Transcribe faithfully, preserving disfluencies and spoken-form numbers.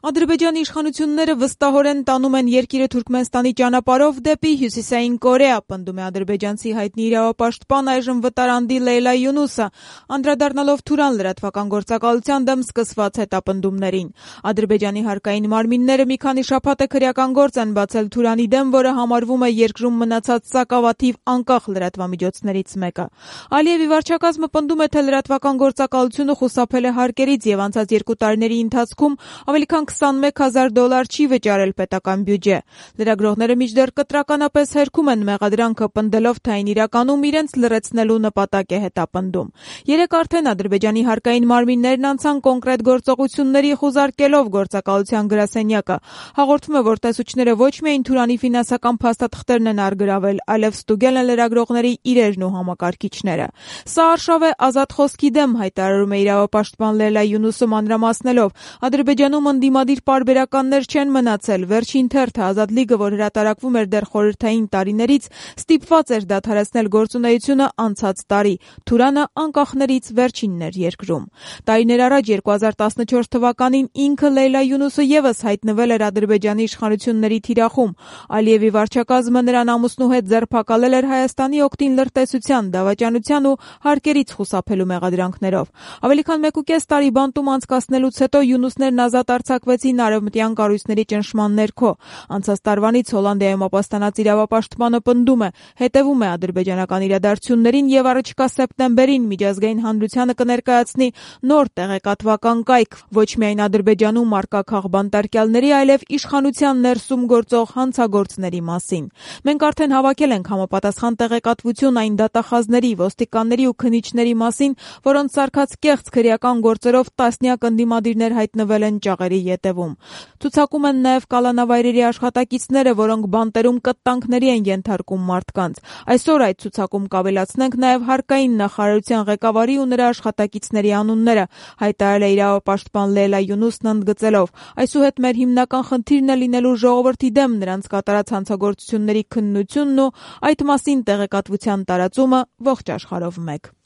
Ադրբեջանի իշխանությունները վստահորեն տանում են երկիրը Թուրքմենստանի ճանապարհով դեպի Հյուսիսային Կորեա, պնդում է ադրբեջանցի հայտնի իրավապաշտպան, այժմ վտարանդի Լեյլա Յունուսը, անդրադառնալով Թուրան լրատվական գործակալության դեմ սկսված հետապնդումներին։ Ադրբեջանի հարկային մարմինները մի քանի շաբաթ է քրեական գործ են բացել Թուրանի դեմ, որը համարվում է երկրում մնացած սակավաթիվ անկախ լրատվամիջոցներից մեկը։ Ալիևի վարչակազմը պնդում է, թե լրատվական գործակալությունը խուսափել է հարկերից եւ անցած երկու տարիների ընթացքում ավելի քան քսանմեկ հազար դոլար չի վճարել պետական բյուջե։ Լրագրողները մինչդեռ կտրականապես հերքում են մեղադրանքը, պնդելով, թե այն իրականում իրենց լրացնելու նպատակ է հետապնդում։ Երեկ արդեն Ադրբեջանի հարկային մարմիններն անցան կոնկրետ գործողությունների, խուզարկելով գործակալության գրասենյակը։ Հաղորդվում է, որ տեսուչները ոչ միայն Թուրանի ֆինանսական փաստաթղթերն են առգրավել, այլև ստուգել են լրագրողների իրերն ու համակարգիչները։ Սա արշավ է ազատ խոսքի դեմ, հայտարարում է իրավապաշտպան Լեյլա Յունուսը, մանրամասնելով. Ադրբեջանում ընդդիմադիր պարբերականներ չեն մնացել։ Վերջին թերթը Ազատ լիգը, որ հրատարակվում էր դեռ խորհրդային տարիներից, ստիպված էր դադարեցնել գործունեությունը անցած տարի։ Թուրանը անկախներից վերջինն էր երկրում։ Տարիներ առաջ երկու հազար տասնչորս թվականին ինքը Լեյլա Յունուսը եւս հայտնվել էր Ադրբեջանի իշխանությունների թիրախում։ Ալիևի վարչակազմը նրան ամուսնու հետ ձերբակալել էր Հայաստանի օգտին լրտեսության, դավաճանության ու հարկերից խուսափելու մեղադրանքներով։ Ավելի քան մեկուկես տարի բանտում անցկացնելուց հետո Յունուսներն ազատ արձակվեցին արևմտյան կառույցների ճնշման ներքո։ Անցած տարվանից Հոլանդիայում ապաստանած իրավապաշտպանը պնդում է, հետևում է ադրբեջանական իրադարձություններին եւ առաջիկա սեպտեմբերին միջազգային հանրությանը կներկայացնի նոր տեղեկատվական կայք, ոչ միայն Ադրբեջանում առկա քաղբանտարկյալների, այլև իշխանության ներսում գործող հանցագործների մասին։ Մենք արդեն հավաքել ենք համապատասխան տեղեկատվություն այն դատախազների, ոստիկանների ու քննիչների մասին, որոնց սարքած կեղծ քրեական գործերով տասնյակ ընդդիմադիրներ հայտնվել են ճաղերի ետևում։ Ցուցակում են նաև կալանավայրերի աշխատակիցները, որոնք բանտերում կտտանքների են ենթարկում մարդկանց։ Այսօր այդ ցուցակում կավելացնենք նաև հարկային նախարարության ղեկավարի ու նրա աշխատակիցների անունները, հայտարարել է իրավապաշտպան Լեյլա Յունուսն ընդգծելով. այսուհետ մեր հիմնական խնդիրն է լինելու ժողովրդի դեմ նրանց կատարած հանցագործությունների քննությունն ու այդ մասին տեղեկատվության տարածումը ողջ աշխարհով մեկ։